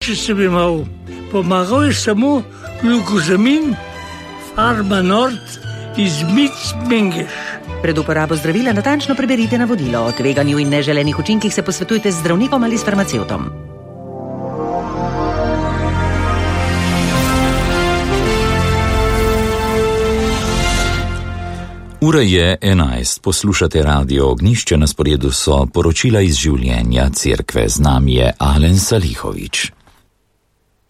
če sem imel. Pomagal je samo glukozamin, Farma Nord iz Mengeš. Pred uporabo zdravila natančno preberite navodilo. O tveganju in neželenih učinkih se posvetujte z zdravnikom ali s farmacevtom. Ura je 11, poslušate Radio Ognjišče, na sporedu so poročila iz življenja cerkve. Z nami je Alen Salihović.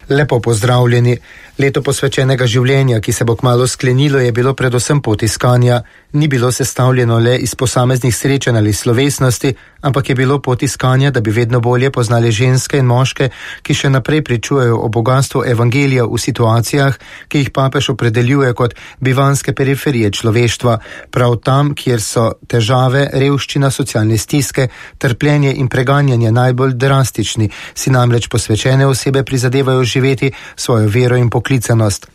Lepo pozdravljeni. Leto posvečenega življenja, ki se bo kmalu sklenilo, je bilo predvsem pot iskanja. Ni bilo sestavljeno le iz posameznih srečanj ali slovesnosti, ampak je bilo pot iskanja, da bi vedno bolje poznali ženske in moške, ki še naprej pričujejo o bogastvu evangelija v situacijah, ki jih papež opredeljuje kot bivanske periferije človeštva, prav tam, kjer so težave, revščina, socialne stiske, trpljenje in preganjanje najbolj drastični, si namreč posvečene osebe prizadevajo živeti svojo vero in poklicanost.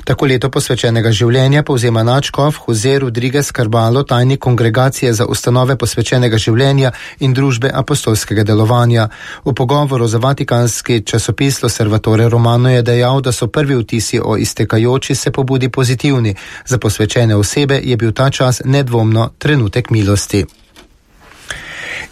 Tako leto posvečenega življenja povzema nadškof Jose Rodriguez Carballo, tajnik kongregacije za ustanove posvečenega življenja in družbe apostolskega delovanja. V pogovoru za vatikanski časopis L'Osservatore Romano je dejal, da so prvi vtisi o iztekajoči se pobudi pozitivni. Za posvečene osebe je bil ta čas nedvomno trenutek milosti.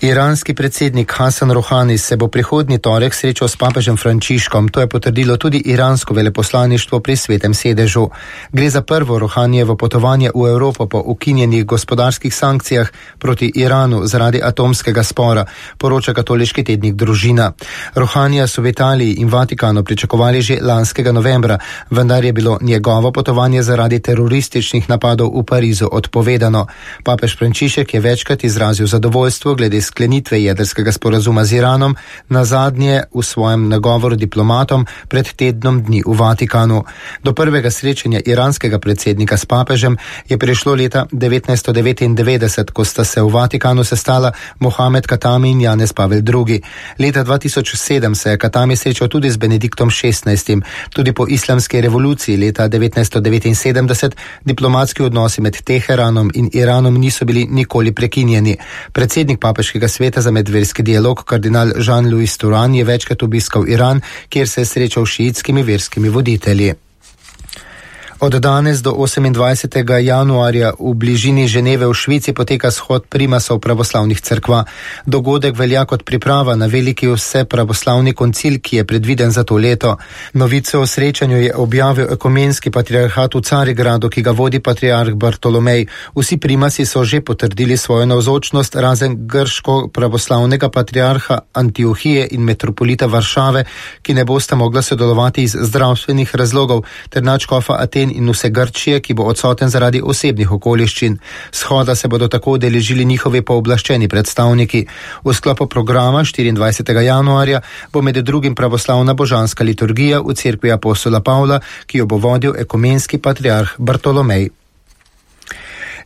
Iranski predsednik Hasan Rohani se bo prihodnji torek srečal s papežem Frančiškom. To je potrdilo tudi iransko veleposlaništvo pri Svetem sedežu. Gre za prvo Rohanijevo potovanje v Evropo po ukinjenih gospodarskih sankcijah proti Iranu zaradi atomskega spora, poroča katoliški tednik Družina. Rohanija so v Italiji in Vatikanu pričakovali že lanskega novembra, vendar je bilo njegovo potovanje zaradi terorističnih napadov v Parizu odpovedano. Papež Frančišek je večkrat izrazil zadovoljstvo glede sklenitve jedrskega sporazuma z Iranom, nazadnje v svojem nagovoru diplomatom pred tednom dni v Vatikanu. Do prvega srečanja iranskega predsednika s papežem je prišlo leta 1999, ko sta se v Vatikanu sestala Mohamed Katami in Janez Pavel II. Leta 2007 se je Katami srečal tudi z Benediktom XVI. Tudi po islamski revoluciji leta 1979 diplomatski odnosi med Teheranom in Iranom niso bili nikoli prekinjeni. Predsednik papeškega sveta za medverski dialog, kardinal Jean-Louis Turan, je večkrat obiskal Iran, kjer se je srečal s šiitskimi verskimi voditelji. Od danes do 28. januarja v bližini Ženeve v Švici poteka shod primasov pravoslavnih cerkva. Dogodek velja kot priprava na veliki vsepravoslavni koncil, ki je predviden za to leto. Novice o srečanju je objavil ekumenski patriarhat v Carigradu, ki ga vodi patriarh Bartolomej. Vsi primasi so že potrdili svojo navzočnost, razen grško pravoslavnega patriarha Antiohije in metropolita Varšave, ki ne bosta mogla sodelovati iz zdravstvenih razlogov, ter nadškofa Aten in vse Grčije, ki bo odsoten zaradi osebnih okoliščin. Shoda se bodo tako udeležili njihovi pooblaščeni predstavniki. V sklopu programa 24. januarja bo med drugim pravoslavna božanska liturgija v cerkvi apostola Pavla, ki jo bo vodil ekumenski patriarh Bartolomej.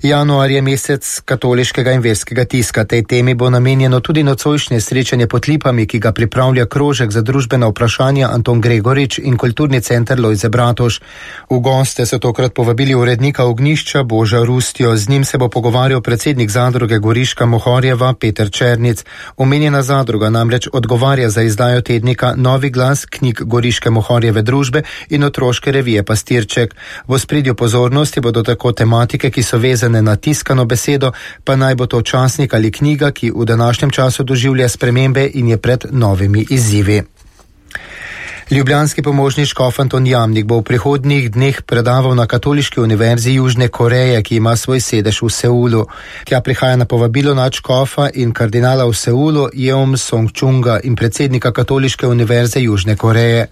Januar je mesec katoliškega in verskega tiska. Tej temi bo namenjeno tudi nocojšnje srečanje pod lipami, ki ga pripravlja krožek za družbena vprašanja Anton Gregorič in kulturni center Lojze Bratož. V goste so tokrat povabili urednika Ognjišča Boža Rustjo. Z njim se bo pogovarjal predsednik zadruge Goriška Mohorjeva Peter Černic. Omenjena zadruga namreč odgovarja za izdajo tednika Novi glas, knjig Goriške Mohorjeve družbe in otroške revije Pastirček. V ospredju pozornosti bodo tako tematike, ki so vezane na tiskano besedo, pa naj bo to časnik ali knjiga, ki v današnjem času doživlja spremembe in je pred novimi izzivi. Ljubljanski pomožni škof Anton Jamnik bo v prihodnjih dneh predaval na Katoliški univerzi Južne Koreje, ki ima svoj sedež v Seulu. Tja prihaja na povabilo nadškofa in kardinala v Seulu Jeom Song-chunga in predsednika Katoliške univerze Južne Koreje.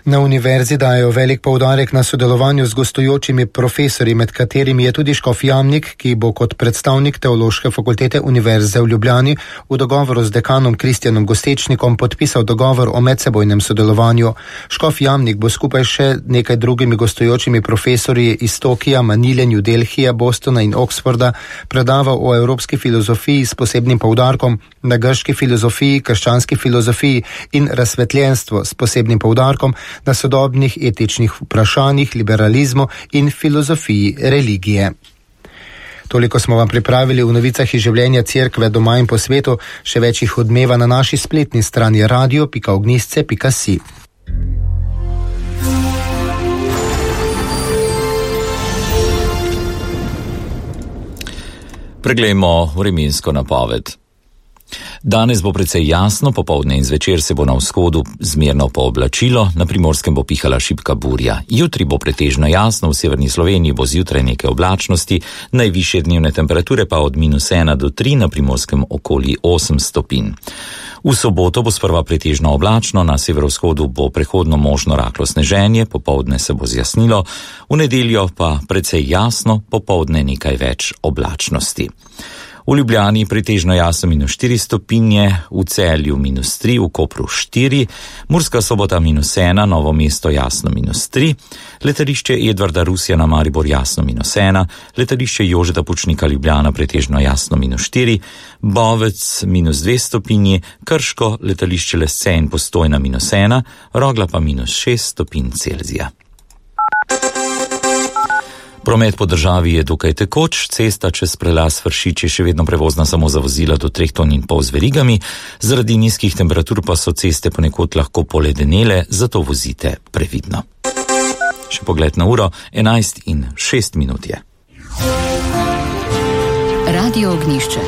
Na univerzi dajo velik poudarek na sodelovanju z gostujočimi profesorji, med katerimi je tudi škof Jamnik, ki bo kot predstavnik Teološke fakultete Univerze v Ljubljani v dogovoru z dekanom Kristjanom Gostečnikom podpisal dogovor o medsebojnem sodelovanju. Škof Jamnik bo skupaj še nekaj drugimi gostujočimi profesorji iz Tokija, Manile, New Delhija, Bostona in Oxforda predaval o evropski filozofiji s posebnim poudarkom na grški filozofiji, krščanski filozofiji in razsvetljenstvo s posebnim poudarkom na sodobnih etičnih vprašanjih, liberalizmu in filozofiji religije. Toliko smo vam pripravili v novicah iz življenja cerkve doma in po svetu. Še več jih odmeva na naši spletni strani radio.ognisce.si. Preglejmo vremensko napoved. Danes bo precej jasno, popoldne in zvečer se bo na vzhodu zmerno pooblačilo, na Primorskem bo pihala šibka burja. Jutri bo pretežno jasno, v severni Sloveniji bo zjutraj nekaj oblačnosti, najvišje dnevne temperature pa od -1 do 3, na Primorskem okoli 8 stopinj. V soboto bo sprva pretežno oblačno, na severovzhodu bo prehodno možno rahlo sneženje, popoldne se bo zjasnilo, v nedeljo pa precej jasno, popoldne nekaj več oblačnosti. V Ljubljani pretežno jasno -4 stopinje, v Celju -3, v Kopru 4, Murska Sobota -1, Novo mesto jasno -3, letališče Edvarda Rusjana Maribor jasno -1, letališče Jožeta Pučnika Ljubljana pretežno jasno -4, Bovec -2 stopinji, Krško, letališče Lesce in Postojna -1, Rogla pa -6 stopinj Celzija. Promet po državi je dokaj tekoč, cesta čez prelaz Vršič je še vedno prevozna samo za vozila do 3,5 ton z verigami, zaradi nizkih temperatur pa so ceste ponekod lahko poledenele, zato vozite previdno. Še pogled na uro, 11:06 je. Radio Ognjišče.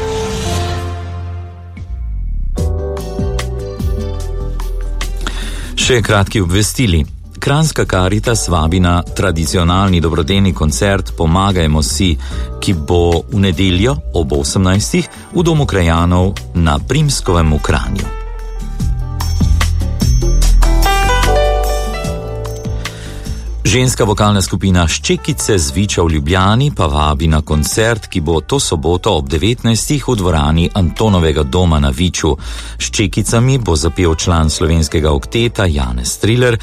Še kratki obvestili. Kranjska Karitas vabi na tradicionalni dobrodelni koncert Pomagajmo si, ki bo v nedeljo ob 18. v Domu krajanov na Primskovem v Kranju. Ženska vokalna skupina Ščekice z Viča v Ljubljani pa vabi na koncert, ki bo to soboto ob 19. v dvorani Antonovega doma na Viču. S Ščekicami bo zapel član slovenskega okteta Janez Triler,